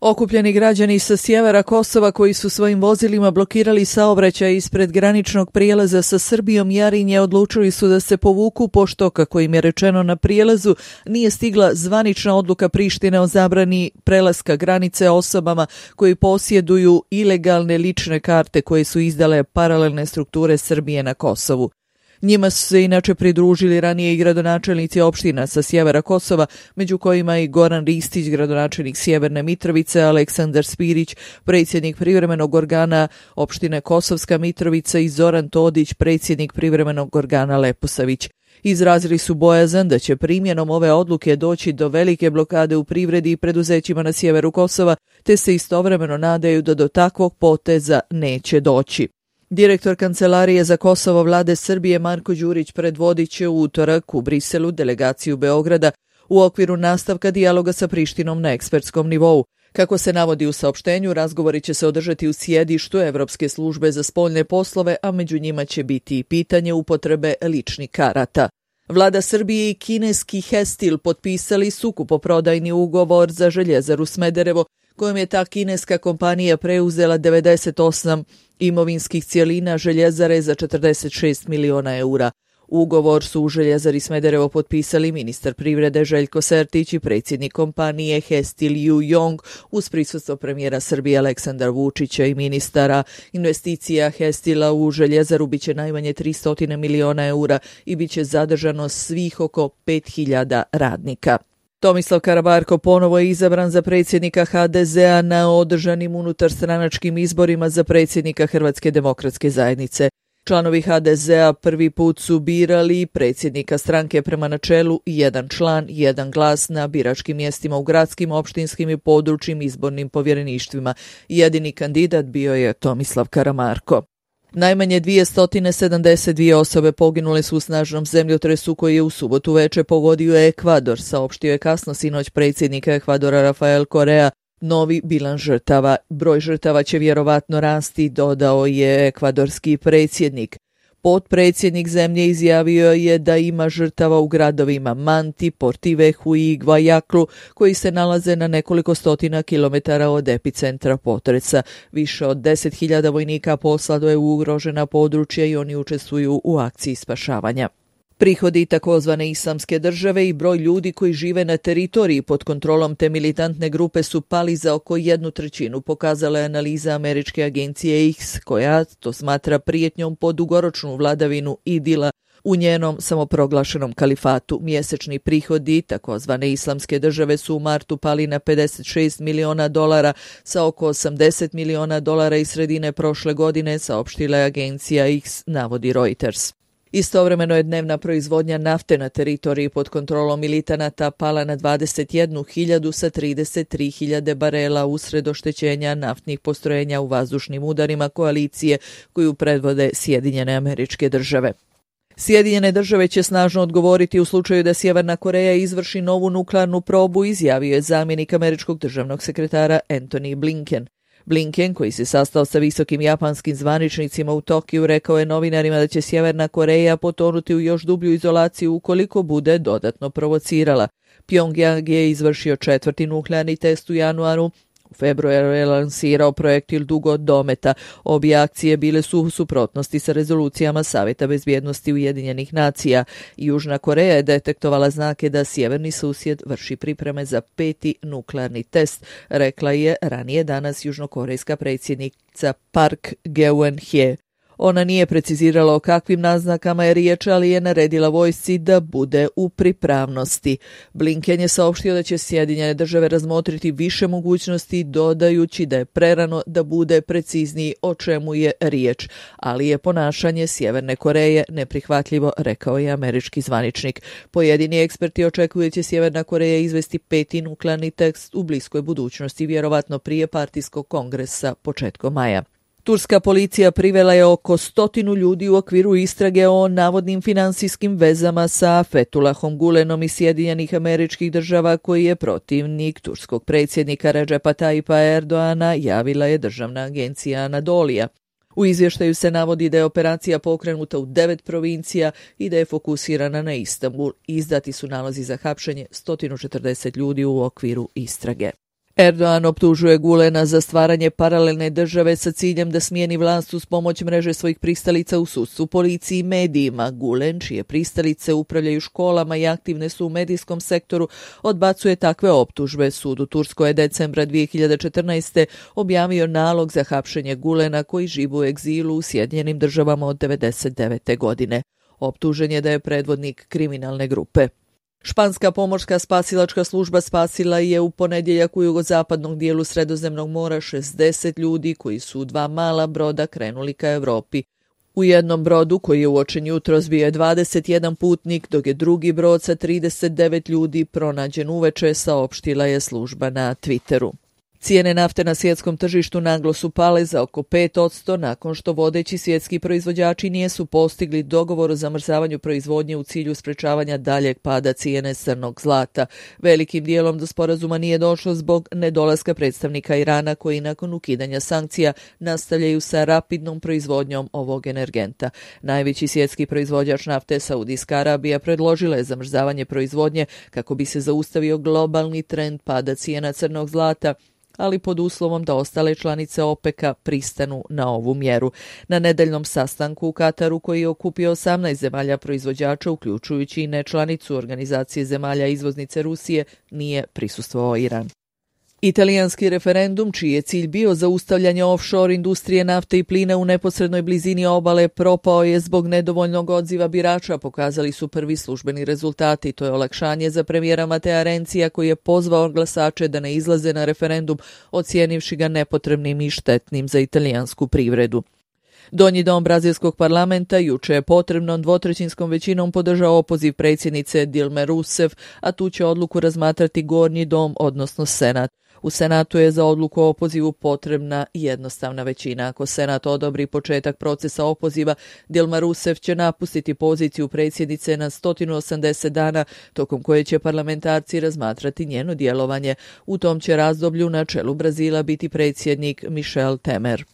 Okupljeni građani sa sjevera Kosova koji su svojim vozilima blokirali saobraćaj ispred graničnog prijelaza sa Srbijom Jarinje odlučili su da se povuku pošto, kako im je rečeno na prijelazu, nije stigla zvanična odluka Prištine o zabrani prelaska granice osobama koji posjeduju ilegalne lične karte koje su izdale paralelne strukture Srbije na Kosovu. Njima su se inače pridružili ranije i gradonačelnici opština sa sjevera Kosova, među kojima i Goran Ristić, gradonačelnik Sjeverne Mitrovice, Aleksandar Spirić, predsjednik privremenog organa opštine Kosovska Mitrovica i Zoran Todić, predsjednik privremenog organa Leposavić. Izrazili su bojazan da će primjenom ove odluke doći do velike blokade u privredi i preduzećima na sjeveru Kosova, te se istovremeno nadaju da do takvog poteza neće doći. Direktor Kancelarije za Kosovo Vlade Srbije Marko Đurić predvodit će u utorak u Briselu delegaciju Beograda u okviru nastavka dijaloga sa Prištinom na ekspertskom nivou. Kako se navodi u saopštenju, razgovori će se održati u sjedištu Evropske službe za spoljne poslove, a među njima će biti i pitanje upotrebe ličnih karata. Vlada Srbije i kineski Hestil potpisali su kupoprodajni ugovor za Željezaru Smederevo, kojom je ta kineska kompanija preuzela 98 imovinskih cijelina Željezare za 46 miliona eura. Ugovor su u Željezari Smederevo potpisali ministar privrede Željko Sertić i predsjednik kompanije Hestil Ju Yong uz prisustvo premijera Srbije Aleksandra Vučića i ministara. Investicija Hestila u Željezaru biće najmanje 300 miliona eura i biće zadržano svih oko 5000 radnika. Tomislav Karamarko ponovo je izabran za predsjednika HDZ-a na održanim unutarstranačkim izborima za predsjednika Hrvatske demokratske zajednice. Članovi HDZ-a prvi put su birali predsjednika stranke prema načelu jedan član, jedan glas na biračkim mjestima u gradskim, opštinskim i područnim izbornim povjereništvima. Jedini kandidat bio je Tomislav Karamarko. Najmanje 272 osobe poginule su u snažnom zemljotresu koji je u subotu veče pogodio Ekvador, saopštio je kasno sinoć predsjednik Ekvadora Rafael Correa. Novi bilans žrtava. Broj žrtava će vjerovatno rasti, dodao je ekvadorski predsjednik. Potpredsjednik zemlje izjavio je da ima žrtava u gradovima Manti, Portivehu i Guayaquil, koji se nalaze na nekoliko stotina kilometara od epicentra potresa. Više od 10.000 vojnika poslado je u ugrožena područja i oni učestvuju u akciji spašavanja. Prihodi takozvane islamske države i broj ljudi koji žive na teritoriji pod kontrolom te militantne grupe su pali za oko 1/3, pokazala je analiza američke agencije X, koja to smatra prijetnjom po dugoročnu vladavinu Idila u njenom samoproglašenom kalifatu. Mjesečni prihodi takozvane islamske države su u martu pali na $56 miliona sa oko $80 miliona iz sredine prošle godine, saopštila je agencija X, navodi Reuters. Istovremeno je dnevna proizvodnja nafte na teritoriji pod kontrolom militanata pala na 21.000 sa 33.000 barela usred oštećenja naftnih postrojenja u vazdušnim udarima koalicije koju predvode Sjedinjene Američke Države. Sjedinjene Države će snažno odgovoriti u slučaju da Sjeverna Koreja izvrši novu nuklearnu probu, izjavio je zamjenik američkog državnog sekretara Antony Blinken. Blinken, koji se sastao sa visokim japanskim zvaničnicima u Tokiju, rekao je novinarima da će Sjeverna Koreja potonuti u još dublju izolaciju ukoliko bude dodatno provocirala. Pjongjang je izvršio 4. nuklearni test u januaru. U februaru je lansirao projektil dugo dometa. Obje akcije bile su u suprotnosti sa rezolucijama Savjeta bezbjednosti Ujedinjenih nacija. Južna Koreja je detektovala znake da sjeverni susjed vrši pripreme za 5. nuklearni test, rekla je ranije danas južnokorejska predsjednica Park Geun-hye. Ona nije precizirala o kakvim naznakama je riječ, ali je naredila vojsci da bude u pripravnosti. Blinken je saopštio da će Sjedinjene Države razmotriti više mogućnosti, dodajući da je prerano da bude precizniji o čemu je riječ, ali je ponašanje Sjeverne Koreje neprihvatljivo, rekao je američki zvaničnik. Pojedini eksperti očekuju da će Sjeverna Koreja izvesti 5. nuklearni test u bliskoj budućnosti, vjerovatno prije partijskog kongresa početkom maja. Turska policija privela je oko 100 ljudi u okviru istrage o navodnim finansijskim vezama sa Fethullahom Gulenom iz Sjedinjenih Američkih Država, koji je protivnik turskog predsjednika Recepa Tayyipa Erdoana, javila je državna agencija Anadolija. U izvještaju se navodi da je operacija pokrenuta u 9 provincija i da je fokusirana na Istanbul. Izdati su nalozi za hapšenje 140 ljudi u okviru istrage. Erdogan optužuje Gulena za stvaranje paralelne države sa ciljem da smijeni vlast uz pomoć mreže svojih pristalica u sudstvu, policiji i medijima. Gulen, čije pristalice upravljaju školama i aktivne su u medijskom sektoru, odbacuje takve optužbe. Sud u Turskoj je decembra 2014. objavio nalog za hapšenje Gulena koji živi u egzilu u Sjedinjenim Državama od 1999. godine. Optužen je da je predvodnik kriminalne grupe. Španska pomorska spasilačka služba spasila je u ponedjeljak u jugozapadnom dijelu Sredozemnog mora 60 ljudi koji su u 2 mala broda krenuli ka Evropi. U jednom brodu koji je uočen jutros bio je 21 putnik, dok je drugi brod sa 39 ljudi pronađen uveče, saopštila je služba na Twitteru. Cijene nafte na svjetskom tržištu naglo su pale za oko 5% nakon što vodeći svjetski proizvođači nisu postigli dogovor o zamrzavanju proizvodnje u cilju sprečavanja daljeg pada cijene crnog zlata. Velikim dijelom do sporazuma nije došlo zbog nedolaska predstavnika Irana koji nakon ukidanja sankcija nastavljaju sa rapidnom proizvodnjom ovog energenta. Najveći svjetski proizvođač nafte, Saudijska Arabija, predložila je zamrzavanje proizvodnje kako bi se zaustavio globalni trend pada cijena crnog zlata, ali pod uslovom da ostale članice OPEC-a pristanu na ovu mjeru. Na nedeljnom sastanku u Kataru, koji je okupio 18 zemalja proizvođača, uključujući i nečlanicu Organizacije zemalja izvoznice Rusije, nije prisustvovao Iran. Italijanski referendum, čiji je cilj bio zaustavljanje offshore industrije nafte i plina u neposrednoj blizini obale, propao je zbog nedovoljnog odziva birača, pokazali su prvi službeni rezultati. To je olakšanje za premijera Matea Renzija, koji je pozvao glasače da ne izlaze na referendum, ocijenivši ga nepotrebnim i štetnim za italijansku privredu. Donji dom brazilskog parlamenta juče je potrebnom dvotrećinskom većinom podržao opoziv predsjednice Dilme Rousseff, a tu će odluku razmatrati gornji dom, odnosno Senat. U Senatu je za odluku o opozivu potrebna jednostavna većina. Ako Senat odobri početak procesa opoziva, Dilma Rousseff će napustiti poziciju predsjednice na 180 dana, tokom koje će parlamentarci razmatrati njeno djelovanje. U tom će razdoblju na čelu Brazila biti predsjednik Michel Temer.